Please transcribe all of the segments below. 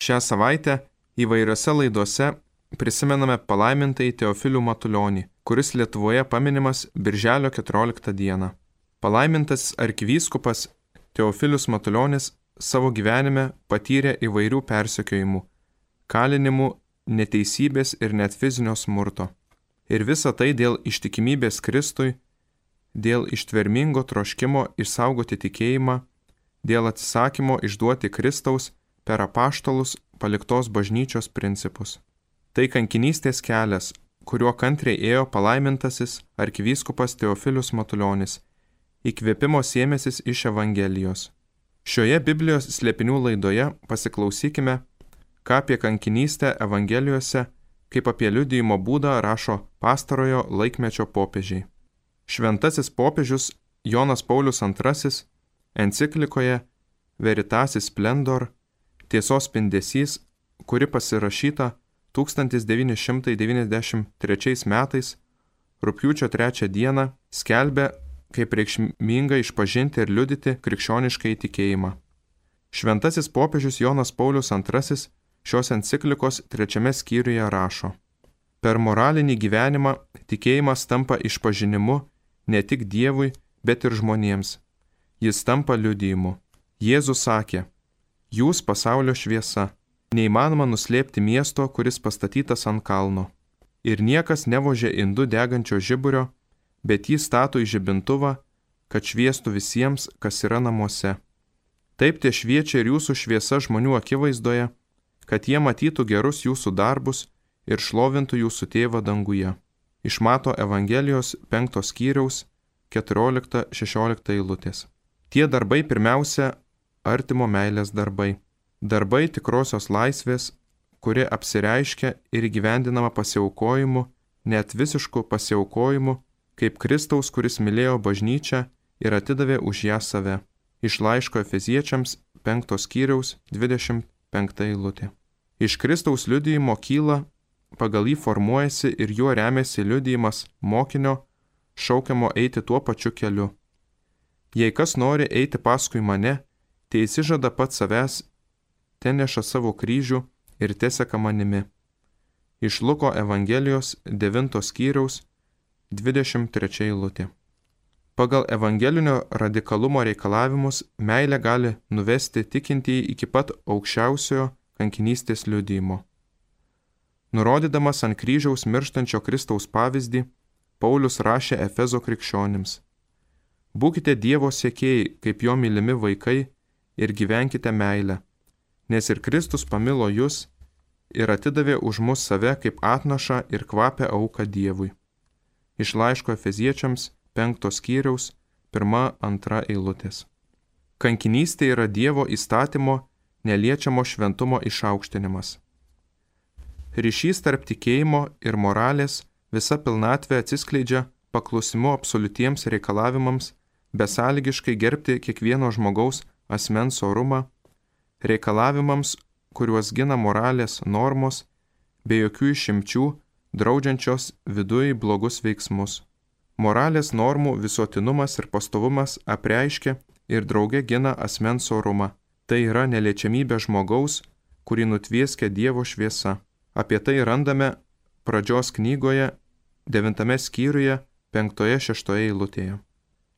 Šią savaitę įvairiose laidose prisimename palaimintąjį Teofilių Matulionį, kuris Lietuvoje paminimas birželio 14 dieną. Palaimintasis arkivyskupas Teofilius Matulionis savo gyvenime patyrė įvairių persekiojimų, kalinimų, neteisybės ir net fizinio smurto. Ir visa tai dėl ištikimybės Kristui, dėl ištvermingo troškimo išsaugoti tikėjimą, dėl atsisakymo išduoti Kristaus per apaštalus paliktos bažnyčios principus. Tai kankinystės kelias, kuriuo kantriai ėjo palaimintasis arkivyskupas Teofilius Matulionis, įkvėpimo sėmėsis iš Evangelijos. Šioje Biblijos slėpinių laidoje pasiklausykime, ką apie kankinystę Evangelijose, kaip apie liudijimo būdą rašo pastarojo laikmečio popiežiai. Šventasis popiežius Jonas Paulius II enciklikoje Veritatis Splendor, tiesos spindesys, kuri pasirašyta 1993 metais, rugpjūčio 3 dieną, skelbia, kaip reikšminga išpažinti ir liudyti krikščionišką įtikėjimą. Šventasis popiežius Jonas Paulius II šios enciklikos 3 skyriuje rašo: Per moralinį gyvenimą tikėjimas tampa išpažinimu ne tik Dievui, bet ir žmonėms. Jis tampa liudijimu. Jėzus sakė: Jūs pasaulio šviesa. Neįmanoma nuslėpti miesto, kuris pastatytas ant kalno. Ir niekas nevožia indų degančio žiburio, bet jį stato į žibintuvą, kad šviestų visiems, kas yra namuose. Taip te šviečia ir jūsų šviesa žmonių akivaizdoje, kad jie matytų gerus jūsų darbus ir šlovintų jūsų tėvą danguje. Iš Mato Evangelijos 5 skyriaus 14-16 eilutės. Tie darbai pirmiausia artimo meilės darbai. Darbai tikrosios laisvės, kuri apsireiškia ir įgyvendinama pasiaukojimu, net visišku pasiaukojimu, kaip Kristaus, kuris mylėjo bažnyčią ir atidavė už ją save. Iš laiško Efeziečiams 5 skyriaus 25 eilutė. Iš Kristaus liudijimo kyla, pagal jį formuojasi ir juo remiasi liudijimas mokinio, šaukiamo eiti tuo pačiu keliu. Jei kas nori eiti paskui mane, tai įsižada pats savęs, te neša savo kryžių ir teseka manimi. Iš Luko Evangelijos 9 skyriaus 23 eilutė. Pagal evangelinio radikalumo reikalavimus meilė gali nuvesti tikintįjį iki pat aukščiausiojo kankinystės liudijimo. Nurodydamas ant kryžiaus mirštančio Kristaus pavyzdį, Paulius rašė Efezo krikščionims: Būkite Dievo sekėjai, kaip jo mylimi vaikai, ir gyvenkite meilę, nes ir Kristus pamilo jus ir atidavė už mus save kaip atnašą ir kvapę auką Dievui. Iš laiško Efeziečiams 5 skyriaus 1-2 eilutės. Kankinystė yra Dievo įstatymo neliečiamo šventumo išaukštinimas. Ryšys tarp tikėjimo ir moralės visa pilnatvė atsiskleidžia paklusimu absoliutiems reikalavimams, besąlygiškai gerbti kiekvieno žmogaus asmens orumą, reikalavimams, kuriuos gina moralės normos, be jokių išimčių, draudžiančios viduj blogus veiksmus. Moralės normų visuotinumas ir pastovumas apreiškia ir drauge gina asmens orumą. Tai yra neliečiamybė žmogaus, kurį nutvieskia Dievo šviesa. Apie tai randame pradžios knygoje 9 skyriuje 5-6 eilutėje.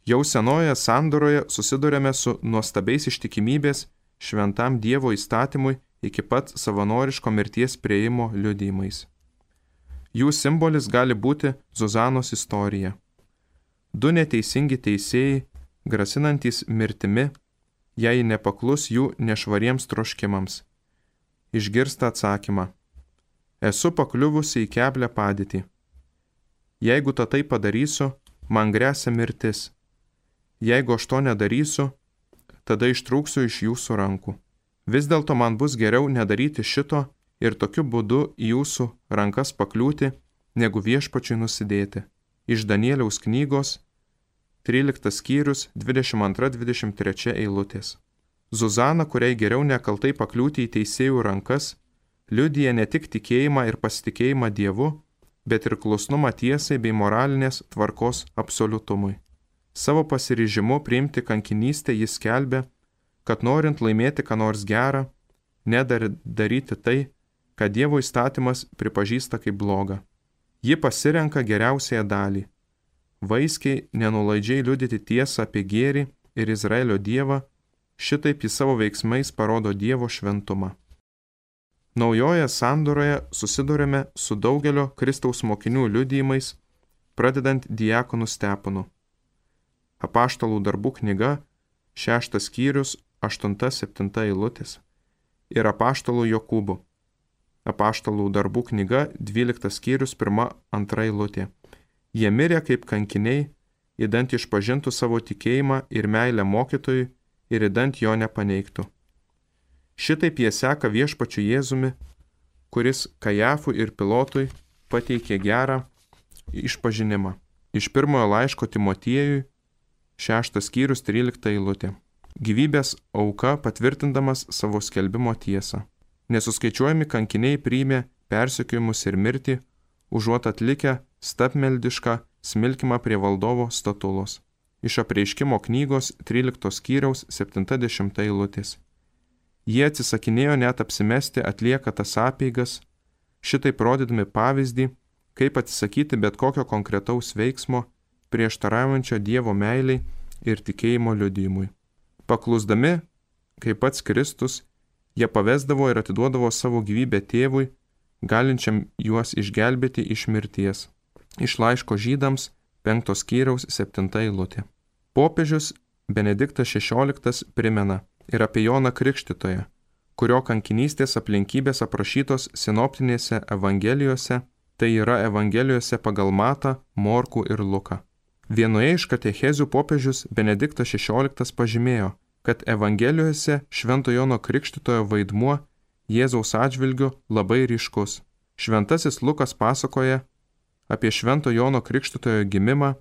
Jau senojoje sandoroje susidurėme su nuostabiais ištikimybės šventam Dievo įstatymui iki pat savanoriško mirties priėjimo liudijimais. Jų simbolis gali būti Zuzanos istorija. 2 neteisingi teisėjai, grasinantys mirtimi, jei nepaklus jų nešvariems troškimams. Išgirsta atsakymą: Esu pakliuvusi į keblią padėtį. Jeigu tai padarysiu, man gresia mirtis. Jeigu aš to nedarysiu, tada ištrūksiu iš jūsų rankų. Vis dėlto man bus geriau nedaryti šito ir tokiu būdu į jūsų rankas pakliūti, negu viešpačiui nusidėti. Iš Danieliaus knygos 13 skyrius 22-23 eilutės. Zuzana, kuriai geriau nekaltai pakliūti į teisėjų rankas, liudija ne tik tikėjimą ir pasitikėjimą Dievu, bet ir klusnumą tiesai bei moralinės tvarkos absoliutumui. Savo pasiryžimu priimti kankinystę jis skelbia, kad norint laimėti ką nors gerą, nedaryti tai, ką Dievo įstatymas pripažįsta kaip bloga. Ji pasirenka geriausiąją dalį – vaiskiai, nenulaidžiai liudyti tiesą apie gėrį ir Izraelio Dievą, šitaip jis savo veiksmais parodo Dievo šventumą. Naujoje sandoroje susidurime su daugelio Kristaus mokinių liudijimais, pradedant diakonu Stepanu. Apaštalų darbų knyga, 6 skyrius, 8-7 eilutės ir apaštalų Jokūbu. Apaštalų darbų knyga, 12 skyrius, 1-2 eilutė. Jie mirė kaip kankiniai, idant išpažintų savo tikėjimą ir meilę mokytojui ir idant jo nepaneigtų. Šitaip jie seka viešpačiu Jėzumi, kuris Kajafui ir Pilotui pateikė gerą išpažinimą. Iš pirmojo laiško Timotiejui, 6 skyrius, 13 eilutė. Gyvybės auka patvirtindamas savo skelbimo tiesą. Nesuskaičiuojami kankiniai priėmė persekiojimus ir mirtį, užuot atlikę stabmeldišką smilkimą prie valdovo statulos. Iš Apreiškimo knygos 13 skyriaus 70 eilutės. Jie atsisakinėjo net apsimesti atlieka tas apeigas, šitaip rodydami pavyzdį, kaip atsisakyti bet kokio konkretaus veiksmo, prieštaraujančio Dievo meiliai ir tikėjimo liudijimui. Paklusdami, kaip pats Kristus, jie pavesdavo ir atiduodavo savo gyvybę tėvui, galinčiam juos išgelbėti iš mirties. Iš laiško Žydams 5 skyriaus 7 eilutė. Popiežius Benediktas XVI primena ir apie Joną Krikštytoją, kurio kankinystės aplinkybės aprašytos sinoptinėse evangelijose, tai yra evangelijose pagal Matą, Morkų ir Luką. Vienoje iš katechezių popiežius Benediktas XVI pažymėjo, kad evangelijose Švento Jono Krikštytojo vaidmuo Jėzaus atžvilgiu labai ryškus. Šventasis Lukas pasakoja apie Švento Jono Krikštytojo gimimą,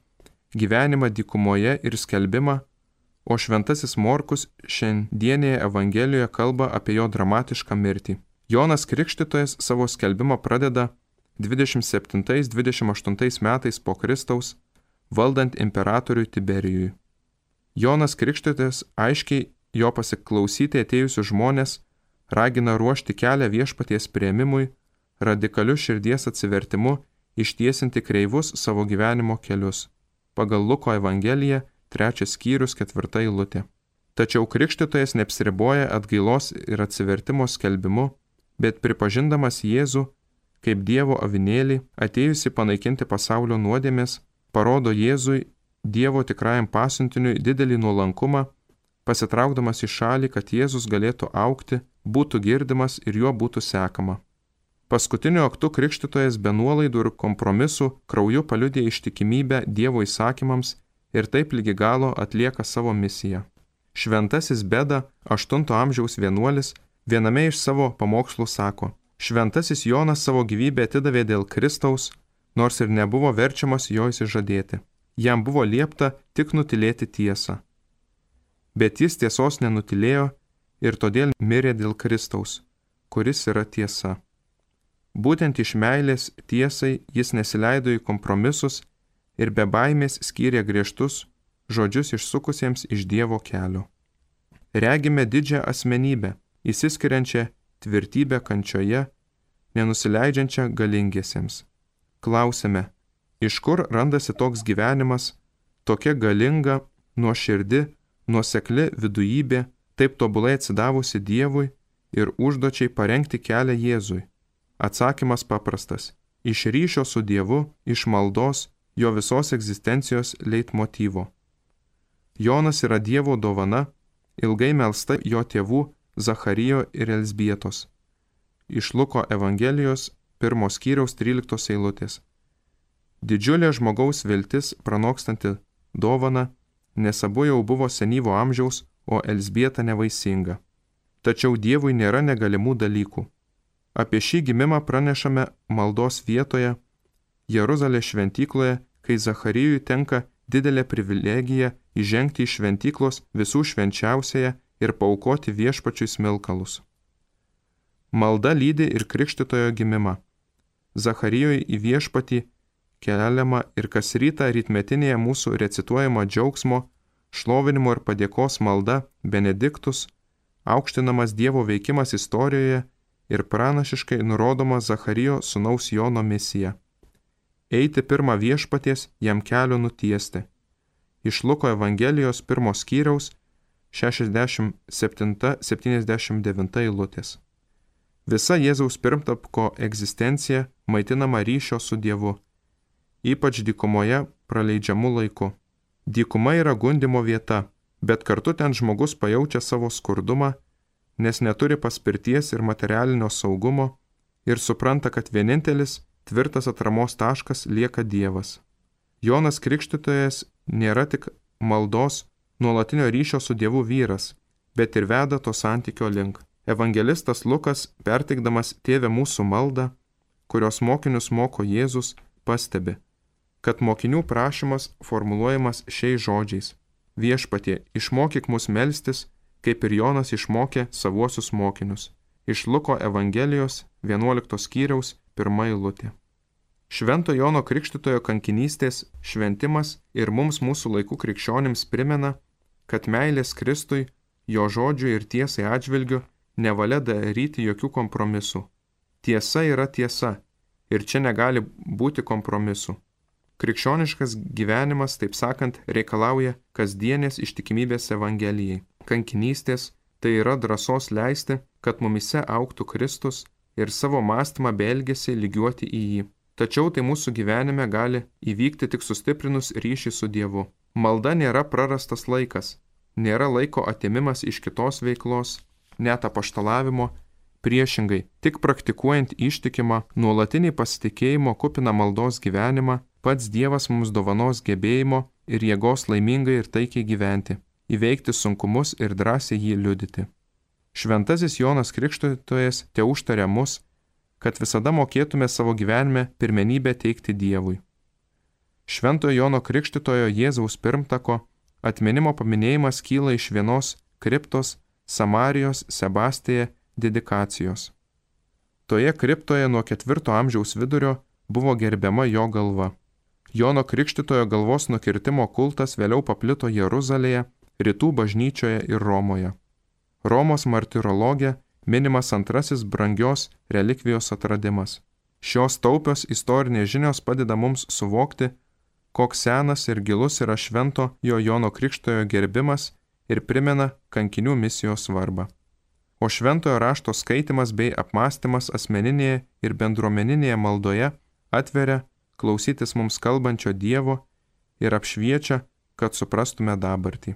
gyvenimą dykumoje ir skelbimą, o Šventasis Morkus šiandienėje evangelijoje kalba apie jo dramatišką mirtį. Jonas Krikštytojas savo skelbimą pradeda 27-28 metais po Kristaus, valdant imperatoriui Tiberijui. Jonas Krikštytojas aiškiai jo pasiklausyti atėjusius žmonės ragina ruošti kelią viešpaties priėmimui, radikaliu širdies atsivertimu ištiesinti kreivus savo gyvenimo kelius. Pagal Luko evangeliją 3 skyrius 4 eilutė. Tačiau Krikštytojas neapsiriboja atgailos ir atsivertimo skelbimu, bet pripažindamas Jėzų kaip Dievo avinėlį, atėjusi panaikinti pasaulio nuodėmės, parodo Jėzui, Dievo tikrajam pasiuntiniui, didelį nuolankumą, pasitraukdamas į šalį, kad Jėzus galėtų augti, būtų girdimas ir juo būtų sekama. Paskutiniu aktu Krikštytojas be nuolaidų ir kompromisų krauju paliudė ištikimybę Dievo įsakymams ir taip lygi galo atlieka savo misiją. Šventasis Beda, 8 amžiaus vienuolis, viename iš savo pamokslų sako: Šventasis Jonas savo gyvybę atidavė dėl Kristaus, nors ir nebuvo verčiamas jo išsižadėti. Jam buvo liepta tik nutilėti tiesą. Bet jis tiesos nenutilėjo ir todėl mirė dėl Kristaus, kuris yra tiesa. Būtent iš meilės tiesai jis nesileido į kompromisus ir be baimės skyrė griežtus žodžius išsukusiems iš Dievo kelio. Regime didžią asmenybę, įsiskiriančią tvirtybę kančioje, nenusileidžiančią galingiesiems. Klausime, iš kur randasi toks gyvenimas, tokia galinga, nuoširdi, nuosekli vidujybė, taip tobulai atsidavusi Dievui ir užduočiai parengti kelią Jėzui? Atsakymas paprastas – iš ryšio su Dievu, iš maldos, jo visos egzistencijos leitmotyvo. Jonas yra Dievo dovana, ilgai melsta jo tėvų Zacharijo ir Elzbietos. Iš Luko evangelijos 1 skyriaus 13 eilutės. Didžiulė žmogaus viltis pranokstanti dovana, nes abu jau buvo senyvo amžiaus, o Elzbieta nevaisinga. Tačiau Dievui nėra negalimų dalykų. Apie šį gimimą pranešame maldos vietoje, Jeruzalės šventykloje, kai Zacharijui tenka didelė privilegija įžengti į šventyklos visų švenčiausiąją ir paaukoti viešpačiui smilkalus. Malda lydi ir Krikštytojo gimimą. Zacharijui į viešpatį keliama ir kas rytą rytmetinėje mūsų recituojama džiaugsmo, šlovinimo ir padėkos malda Benediktus aukštinamas Dievo veikimas istorijoje ir pranašiškai nurodoma Zacharijo sūnaus Jono misija. Eiti pirmą viešpaties jam kelio nutiesti. Iš Luko Evangelijos 1 skyriaus 67-79 eilutės. Visa Jėzaus pirmtako egzistencija maitinama ryšio su Dievu, ypač dykumoje praleidžiamų laiku. Dykuma yra gundymo vieta, bet kartu ten žmogus pajaučia savo skurdumą, nes neturi paspirties ir materialinio saugumo ir supranta, kad vienintelis tvirtas atramos taškas lieka Dievas. Jonas Krikštytojas nėra tik maldos, nuolatinio ryšio su Dievu vyras, bet ir veda to santykio link. Evangelistas Lukas, perteikdamas Tėve mūsų maldą, kurios mokinius moko Jėzus, pastebi, kad mokinių prašymas formuluojamas šiais žodžiais: Viešpatie, išmokyk mus melstis, kaip ir Jonas išmokė savuosius mokinius. Iš Luko Evangelijos 11 skyriaus 1 eilutė. Švento Jono Krikštytojo kankinystės šventimas ir mums mūsų laikų krikščionims primena, kad meilės Kristui, jo žodžių ir tiesai atžvilgiu nevalia daryti jokių kompromisų. Tiesa yra tiesa ir čia negali būti kompromisų. Krikščioniškas gyvenimas, taip sakant, reikalauja kasdienės ištikimybės Evangelijai. Kankinystės tai yra drąsos leisti, kad mumise augtų Kristus ir savo mąstymą bei elgesį lygiuoti į jį. Tačiau tai mūsų gyvenime gali įvykti tik sustiprinus ryšį su Dievu. Malda nėra prarastas laikas, nėra laiko atėmimas iš kitos veiklos, net apaštalavimo. Priešingai, tik praktikuojant ištikimą, nuolatinį pasitikėjimo kupiną maldos gyvenimą, pats Dievas mums dovanos gebėjimo ir jėgos laimingai ir taikiai gyventi, įveikti sunkumus ir drąsiai jį liudyti. Šventasis Jonas Krikštytojas teužtaria mus, kad visada mokėtume savo gyvenime pirmenybę teikti Dievui. Šventojo Jono Krikštytojo Jėzaus pirmtako atminimo paminėjimas kyla iš vienos kriptos Samarijos Sebastėje dedikacijos. Toje kriptoje nuo 4 amžiaus vidurio buvo gerbiama jo galva. Jono Krikštytojo galvos nukirtimo kultas vėliau paplito Jeruzalėje, Rytų bažnyčioje ir Romoje. Romos martirologė minimas antrasis brangios relikvijos atradimas. Šios taupios istorinės žinios padeda mums suvokti, koks senas ir gilus yra švento Jono Krikštytojo gerbimas ir primena kankinių misijos svarbą. O šventojo rašto skaitimas bei apmąstymas asmeninėje ir bendruomeninėje maldoje atveria klausytis mums kalbančio Dievo ir apšviečia, kad suprastume dabartį.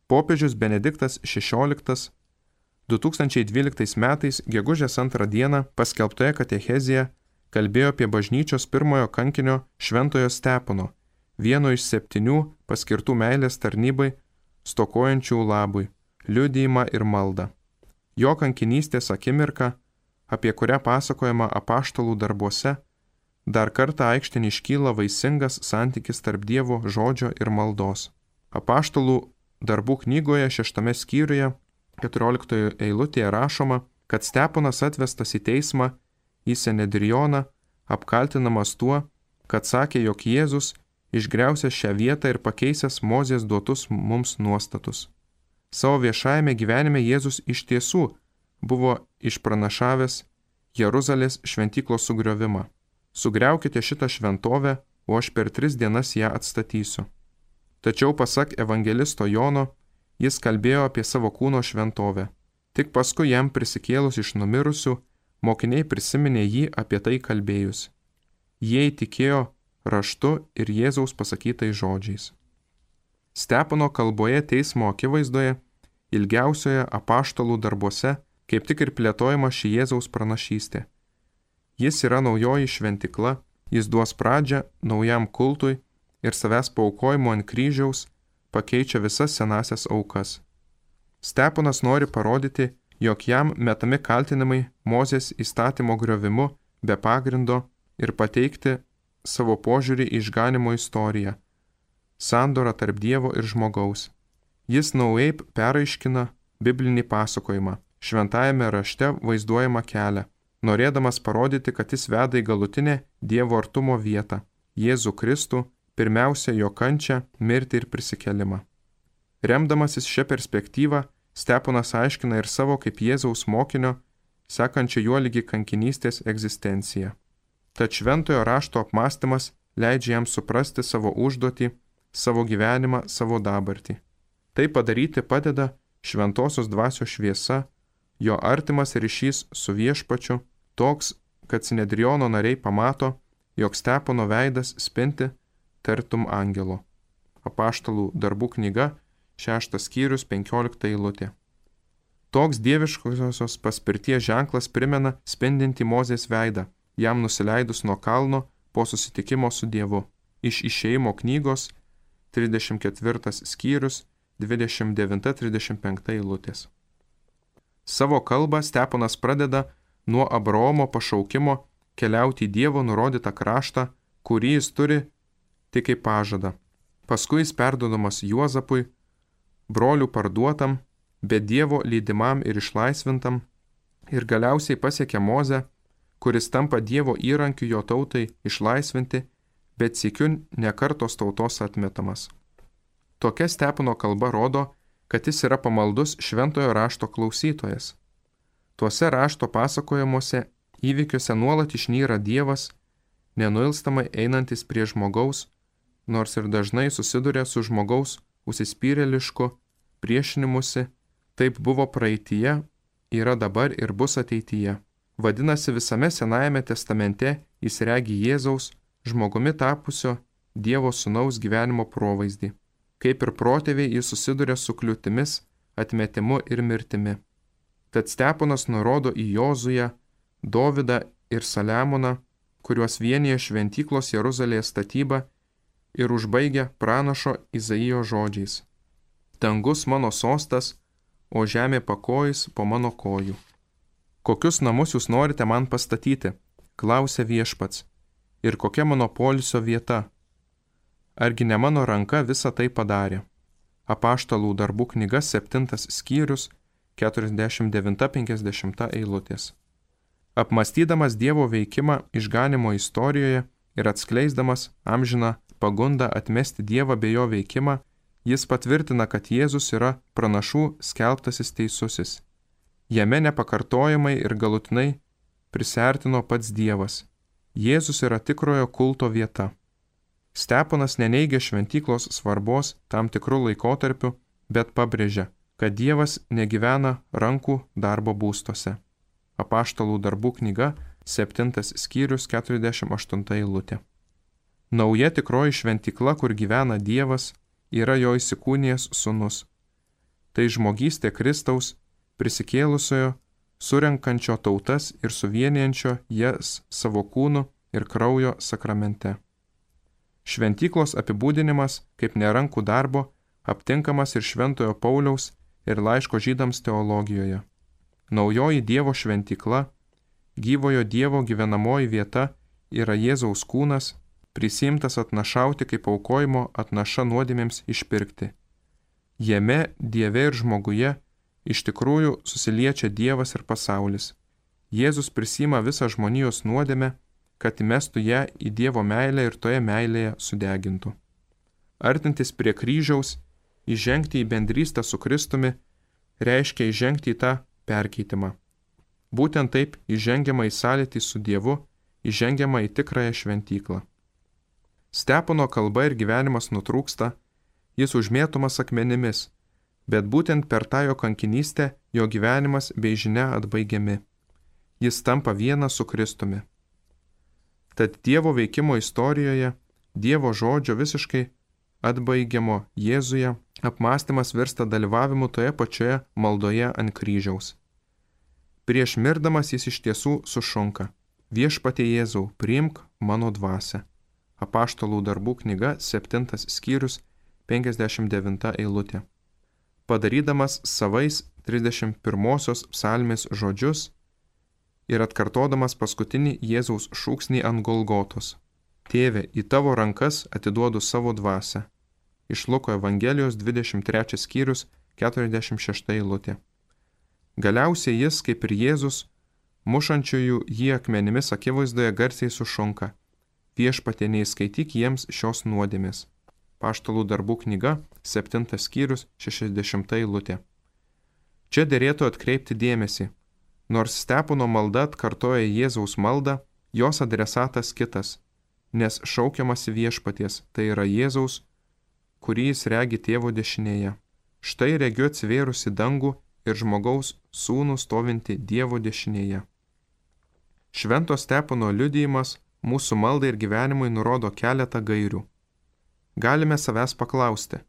Popiežius Benediktas XVI 2012 metais gegužės 2 dieną paskelbtoje katechezėje kalbėjo apie bažnyčios pirmojo kankinio Šventojo Stepono, vieno iš 7 paskirtų meilės tarnybai stokojančių labui, liudijimą ir maldą. Jo kankinystės akimirka, apie kurią pasakojama apaštalų darbuose, dar kartą aikštėn iškyla vaisingas santykis tarp Dievo žodžio ir maldos. Apaštalų darbų knygoje 6 skyriuje 14 eilutėje rašoma, kad Steponas atvestas į teismą į Senedrioną, apkaltinamas tuo, kad sakė, jog Jėzus išgriausęs šią vietą ir pakeisęs Mozės duotus mums nuostatus. Savo viešajame gyvenime Jėzus iš tiesų buvo išpranašavęs Jeruzalės šventyklos sugriovimą. Sugriaukite šitą šventovę, o aš per 3 dienas ją atstatysiu. Tačiau pasak evangelisto Jono, jis kalbėjo apie savo kūno šventovę. Tik paskui jam prisikėlus iš numirusių, mokiniai prisiminė jį apie tai kalbėjus. Jie įtikėjo raštu ir Jėzaus pasakytais žodžiais. Stepono kalboje teismo akivaizdoje, ilgiausioje apaštalų darbuose, kaip tik ir plėtojama ši Jėzaus pranašystė. Jis yra naujoji šventikla, jis duos pradžią naujam kultui ir savęs paaukojimo ant kryžiaus pakeičia visas senasias aukas. Steponas nori parodyti, jog jam metami kaltinimai Mozės įstatymo griovimu be pagrindo ir pateikti savo požiūrį į išganimo istoriją, sandorą tarp Dievo ir žmogaus. Jis naujai peraiškina biblinį pasakojimą, šventajame rašte vaizduojamą kelią, norėdamas parodyti, kad jis veda į galutinę Dievo artumo vietą, Jėzų Kristų, pirmiausia jo kančią, mirtį ir prisikelimą. Remdamasis šią perspektyvą, Steponas aiškina ir savo kaip Jėzaus mokinio, sekančio juo lygi kankinystės egzistenciją. Tad šventojo rašto apmąstymas leidžia jam suprasti savo užduotį, savo gyvenimą, savo dabartį. Tai padaryti padeda šventosios dvasios šviesa, jo artimas ryšys su viešpačiu, toks, kad Sinedriono nariai pamato, jog Stepono veidas spinti tartum angelo. Apaštalų darbų knyga, 6 skyrius, 15 eilutė. Toks dieviškosios paspirties ženklas primena spindintį Mozės veidą, jam nusileidus nuo kalno po susitikimo su Dievu. Iš Išėjimo knygos, 34 skyrius, 29-35 eilutės. Savo kalbą Steponas pradeda nuo Abraomo pašaukimo keliauti į Dievo nurodytą kraštą, kurį jis turi tik kaip pažadą. Paskui jis perduodamas Juozapui, brolių parduotam, bet Dievo lydimam ir išlaisvintam, ir galiausiai pasiekia Mozę, kuris tampa Dievo įrankiu jo tautai išlaisvinti, bet sykiu nekartos tautos atmetamas. Tokia Stepono kalba rodo, kad jis yra pamaldus šventojo rašto klausytojas. Tuose rašto pasakojimuose įvykiuose nuolat išnyra Dievas, nenuilstamai einantis prie žmogaus, nors ir dažnai susiduria su žmogaus užsispyrėlišku priešinimusi, taip buvo praeityje, yra dabar ir bus ateityje. Vadinasi, visame Senajame testamente jis regi Jėzaus, žmogumi tapusio Dievo sūnaus gyvenimo provaizdį. Kaip ir protėviai jis susiduria su kliūtimis, atmetimu ir mirtimi. Tad Steponas nurodo į Jozują, Dovydą ir Saliamoną, kuriuos vienyje šventyklos Jeruzalėje statyba ir užbaigia pranašo Izaijo žodžiais. Dangus mano sostas, o žemė pakojis po mano kojų. Kokius namus jūs norite man pastatyti? Klausė viešpats. Ir kokia mano poilsio vieta? Argi ne mano ranka visą tai padarė? Apaštalų darbų knyga 7 skyrius 49-50 eilutės. Apmąstydamas Dievo veikimą išganimo istorijoje ir atskleisdamas amžiną pagundą atmesti Dievą bei jo veikimą, jis patvirtina, kad Jėzus yra pranašų skelbtasis teisusis. Jame nepakartojamai ir galutinai prisiartino pats Dievas. Jėzus yra tikrojo kulto vieta. Steponas neneigia šventyklos svarbos tam tikrų laikotarpių, bet pabrėžia, kad Dievas negyvena rankų darbo būstuose. Apaštalų darbų knyga, 7 skyrius, 48 eilutė. Nauja tikroji šventykla, kur gyvena Dievas, yra jo įsikūnijęs sūnus. Tai žmogystė Kristaus, prisikėlusiojo, surenkančio tautas ir suvienijančio jas savo kūnu ir kraujo sakramente. Šventyklos apibūdinimas kaip nerankų darbo aptinkamas ir Šventojo Pauliaus ir laiško Žydams teologijoje. Naujoji Dievo šventykla, gyvojo Dievo gyvenamoji vieta yra Jėzaus kūnas, prisimtas atnašauti kaip aukojimo atnaša nuodėmėms išpirkti. Jame, Dieve ir žmoguje, iš tikrųjų susiliečia Dievas ir pasaulis. Jėzus prisima visą žmonijos nuodėmę, kad įmestų ją į Dievo meilę ir toje meilėje sudegintų. Artintis prie kryžiaus, įžengti į bendrystę su Kristumi, reiškia įžengti į tą perkeitimą. Būtent taip įžengiama į sąlytį su Dievu, įžengiama į tikrąją šventyklą. Stepono kalba ir gyvenimas nutrūksta, jis užmėtomas akmenimis, bet būtent per tą jo kankinystę jo gyvenimas bei žinia atbaigiami. Jis tampa vienas su Kristumi. Tad Dievo veikimo istorijoje, Dievo žodžio visiškai atbaigiamo Jėzuje, apmąstymas virsta dalyvavimu toje pačioje maldoje ant kryžiaus. Prieš mirdamas jis iš tiesų sušunka: Viešpatie Jėzau, priimk mano dvasią. Apaštalų darbų knyga, 7 skyrius, 59 eilutė. Padarydamas savais 31 psalmės žodžius ir atkartodamas paskutinį Jėzaus šūksnį ant Golgotos: Tėve, į tavo rankas atiduodu savo dvasią. Iš Luko Evangelijos 23 skyrius, 46 eilutė. Galiausiai jis, kaip ir Jėzus, mušančiųjų jį akmenimis akivaizdoje garsiai sušunka: Viešpatie, neįskaityk jiems šios nuodėmės. Apaštalų darbų knyga, 7 skyrius, 60 eilutė. Čia derėtų atkreipti dėmesį. Nors Stepono malda atkartoja Jėzaus maldą, jos adresatas kitas, nes šaukiamasi viešpaties, tai yra Jėzaus, kurį jis regi tėvo dešinėje. Štai regiu atsivėrusi dangų ir žmogaus sūnų stovinti Dievo dešinėje. Švento Stepono liudijimas mūsų maldai ir gyvenimui nurodo keletą gairių. Galime savęs paklausti,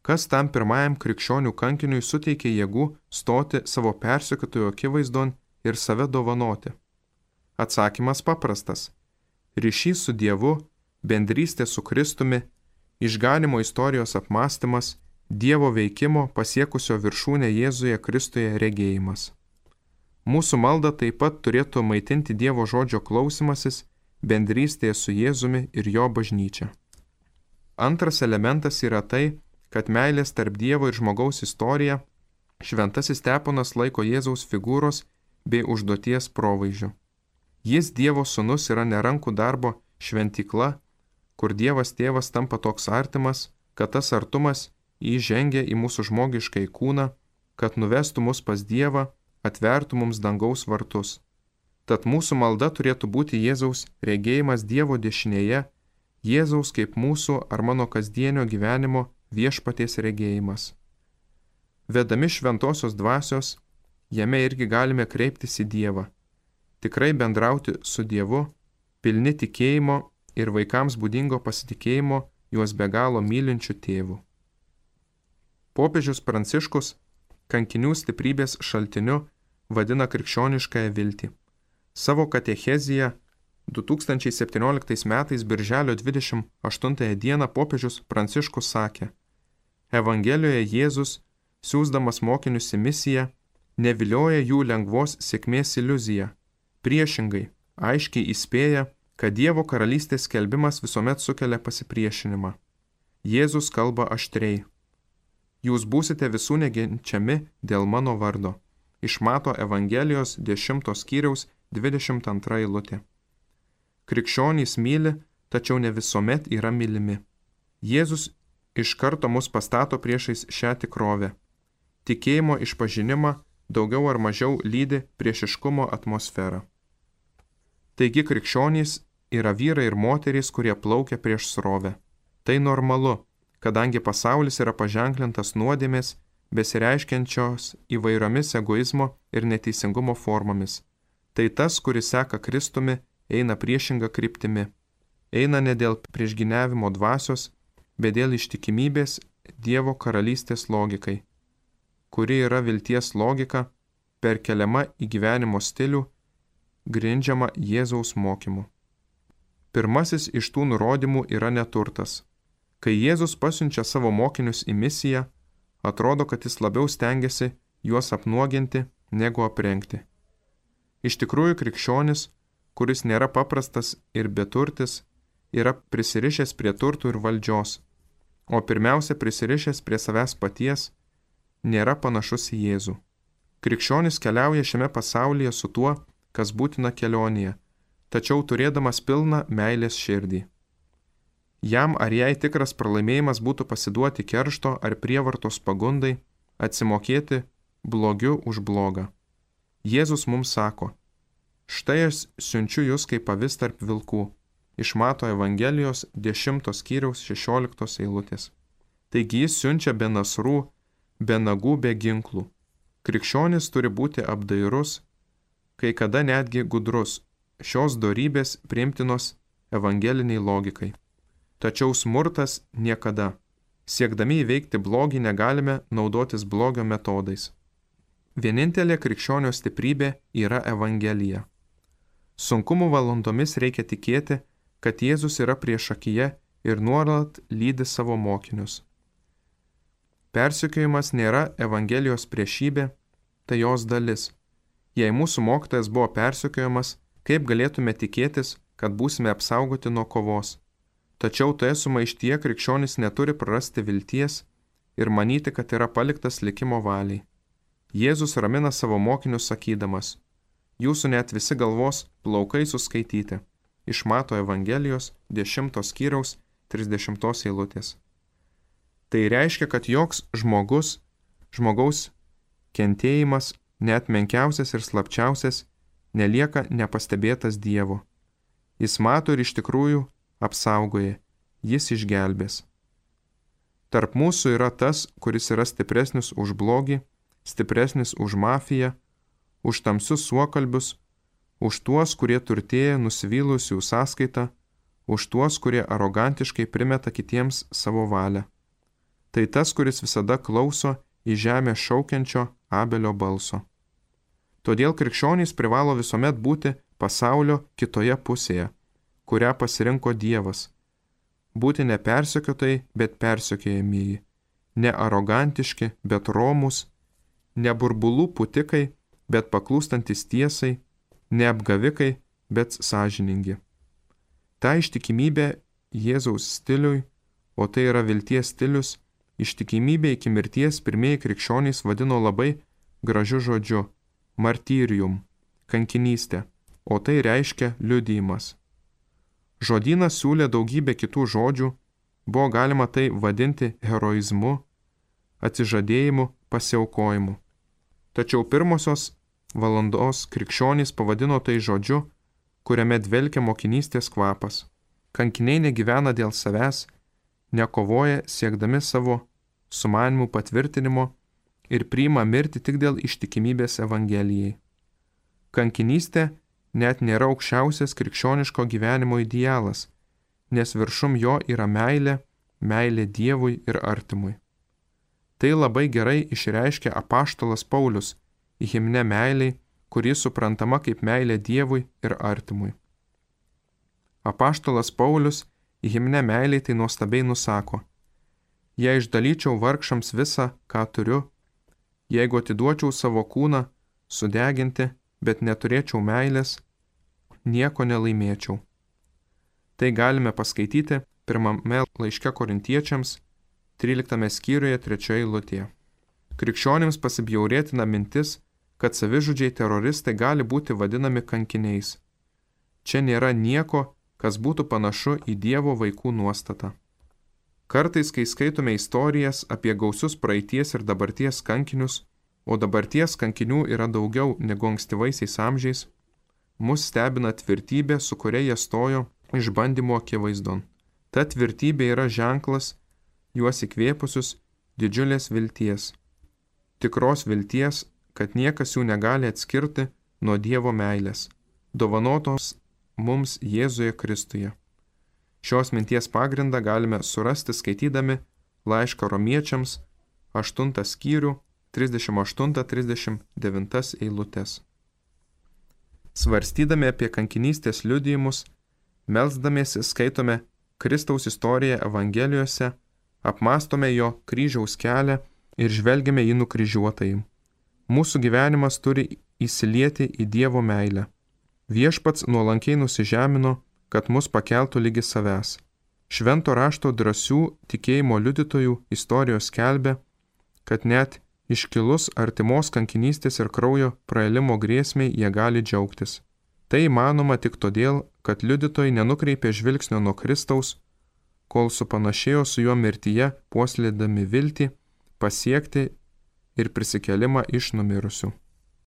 kas tam pirmajam krikščionių kankiniui suteikė jėgų stoti savo persekiotojų akivaizdon ir save dovanoti? Atsakymas paprastas. Ryšys su Dievu, bendrystė su Kristumi, išganimo istorijos apmąstymas, Dievo veikimo pasiekusio viršūnę Jėzuje Kristuje regėjimas. Mūsų malda taip pat turėtų maitinti Dievo žodžio klausimasis, bendrystėje su Jėzumi ir jo bažnyčia. Antras elementas yra tai, kad meilės tarp Dievo ir žmogaus istorija šventasis Steponas laiko Jėzaus figūros bei užduoties provaizdžiu. Jis Dievo sūnus yra nerankų darbo šventykla, kur Dievas tėvas tampa toks artimas, kad tas artumas įžengia į mūsų žmogiškai kūną, kad nuvestų mus pas Dievą, atvertų mums dangaus vartus. Tad mūsų malda turėtų būti Jėzaus regėjimas Dievo dešinėje, Jėzaus kaip mūsų ar mano kasdienio gyvenimo viešpaties regėjimas. Vedami šventosios dvasios, jame irgi galime kreiptis į Dievą, tikrai bendrauti su Dievu, pilni tikėjimo ir vaikams būdingo pasitikėjimo juos be galo mylinčių tėvų. Popiežius Pranciškus kankinių stiprybės šaltiniu vadina krikščioniškąją viltį. Savo katecheziją 2017 metais birželio 28 dieną popiežius Pranciškus sakė: Evangelijoje Jėzus, siųsdamas mokinius į misiją, nevilioja jų lengvos sėkmės iliuziją. Priešingai, aiškiai įspėja, kad Dievo karalystės skelbimas visuomet sukelia pasipriešinimą. Jėzus kalba aštriai. Jūs būsite visų neginčiami dėl mano vardo. Iš Mato Evangelijos 10 skyriaus 22 eilutė. Krikščionys myli, tačiau ne visuomet yra mylimi. Jėzus iš karto mus pastato priešais šią tikrovę. Tikėjimo išpažinimą daugiau ar mažiau lydi priešiškumo atmosfera. Taigi krikščionys yra vyrai ir moterys, kurie plaukia prieš srovę. Tai normalu, kadangi pasaulis yra paženklintas nuodėmės, besireiškiančios įvairiomis egoizmo ir neteisingumo formomis. Tai tas, kuris seka Kristumi, eina priešinga kryptimi. Eina ne dėl priešgyniavimo dvasios, bet dėl ištikimybės Dievo karalystės logikai, kuri yra vilties logika, perkeliama į gyvenimo stilių, grindžiama Jėzaus mokymu. Pirmasis iš tų nurodymų yra neturtas. Kai Jėzus pasiunčia savo mokinius į misiją, atrodo, kad jis labiau stengiasi juos apnuoginti, negu aprengti. Iš tikrųjų, krikščionis, kuris nėra paprastas ir beturtis, yra prisirišęs prie turtų ir valdžios, o pirmiausia prisirišęs prie savęs paties, nėra panašus į Jėzų. Krikščionis keliauja šiame pasaulyje su tuo, kas būtina kelionėje, tačiau turėdamas pilną meilės širdį. Jam ar jai tikras pralaimėjimas būtų pasiduoti keršto ar prievartos pagundai, atsimokėti blogiu už blogą. Jėzus mums sako: štai aš siunčiu jūs kaip avis tarp vilkų. Iš Mato Evangelijos 10 skyriaus 16 eilutės. Taigi jis siunčia be nasrų, be nagų, be ginklų. Krikščionis turi būti apdairus, kai kada netgi gudrus, šios dorybės priimtinos evangeliniai logikai. Tačiau smurtas niekada. Siekdami įveikti blogį negalime naudotis blogio metodais. Vienintelė krikščionio stiprybė yra Evangelija. Sunkumų valandomis reikia tikėti, kad Jėzus yra priešakyje ir nuolat lydi savo mokinius. Persekiojimas nėra Evangelijos priešybė, tai jos dalis. Jei mūsų mokytojas buvo persekiojamas, kaip galėtume tikėtis, kad būsime apsaugoti nuo kovos? Tačiau toje sumaištyje krikščionis neturi prarasti vilties ir manyti, kad yra paliktas likimo valiai. Jėzus ramina savo mokinius sakydamas: jūsų net visi galvos plaukai suskaityti. Iš Mato Evangelijos 10 skyriaus 30 eilutės. Tai reiškia, kad joks žmogaus kentėjimas, net menkiausias ir slapčiausias, nelieka nepastebėtas Dievo. Jis mato ir iš tikrųjų apsaugoja, jis išgelbės. Tarp mūsų yra tas, kuris yra stipresnis už blogį, stipresnis už mafiją, už tamsius suokalbius, už tuos, kurie turtėja nusivylusių sąskaitą, už tuos, kurie arogantiškai primeta kitiems savo valią. Tai tas, kuris visada klauso į žemę šaukiančio Abelio balso. Todėl krikščionys privalo visuomet būti pasaulio kitoje pusėje, kurią pasirinko Dievas. Būti ne persekiotojai, bet persekiojamieji, ne arogantiški, bet romūs, ne burbulų pūtikai, bet paklūstantis tiesai, ne apgavikai, bet sąžiningi. Ta ištikimybė Jėzaus stiliui, o tai yra vilties stilius, ištikimybė iki mirties pirmieji krikščionys vadino labai gražiu žodžiu – martyrium, kankinystė, o tai reiškia liudijimas. Žodynas siūlė daugybę kitų žodžių, buvo galima tai vadinti heroizmu, atsižadėjimu, pasiaukojimu. Tačiau pirmosios valandos krikščionys pavadino tai žodžiu, kuriame dvelkia mokinystės kvapas. Kankiniai negyvena dėl savęs, nekovoja siekdami savo sumanimų patvirtinimo ir priima mirtį tik dėl ištikimybės Evangelijai. Kankinystė net nėra aukščiausias krikščioniško gyvenimo idealas, nes viršum jo yra meilė, meilė Dievui ir artimui. Tai labai gerai išreiškia apaštalas Paulius į himne meiliai, kuri suprantama kaip meilė Dievui ir artimui. Apaštalas Paulius į himne meiliai tai nuostabiai nusako: jei išdalyčiau vargšams visą, ką turiu, jeigu atiduočiau savo kūną sudeginti, bet neturėčiau meilės, nieko nelaimėčiau. Tai galime paskaityti pirmame laiške Korintiečiams, 13 skyriuje 3 eilutėje. Krikščionims pasibjaurėtina mintis, kad savižudžiai teroristai gali būti vadinami kankiniais. Čia nėra nieko, kas būtų panašu į Dievo vaikų nuostatą. Kartais, kai skaitome istorijas apie gausius praeities ir dabarties kankinius, o dabarties kankinių yra daugiau negu ankstyvaisiais amžiais, mus stebina tvirtybė, su kuria jie stojo išbandymo akivaizdon. Ta tvirtybė yra ženklas juos įkvėpusius didžiulės vilties. Tikros vilties, kad niekas jų negali atskirti nuo Dievo meilės, dovanotos mums Jėzuje Kristuje. Šios minties pagrindą galime surasti skaitydami laišką Romiečiams 8 skyrių 38-39 eilutes. Svarstydami apie kankinystės liudijimus, melsdamiesi skaitome Kristaus istoriją Evangelijose, apmastome jo kryžiaus kelią ir žvelgiame į nukryžiuotąjį. Mūsų gyvenimas turi įsilieti į Dievo meilę. Viešpats nuolankiai nusižemino, kad mus pakeltų lygi savęs. Švento rašto drąsių tikėjimo liudytojų istorijos skelbia, kad net iškilus artimos kankinystės ir kraujo praėjimo grėsmei jie gali džiaugtis. Tai įmanoma tik todėl, kad liudytojai nenukreipė žvilgsnio nuo Kristaus, kol supanašėjo su juo mirtyje, puoselėdami viltį pasiekti ir prisikelimą iš numirusių.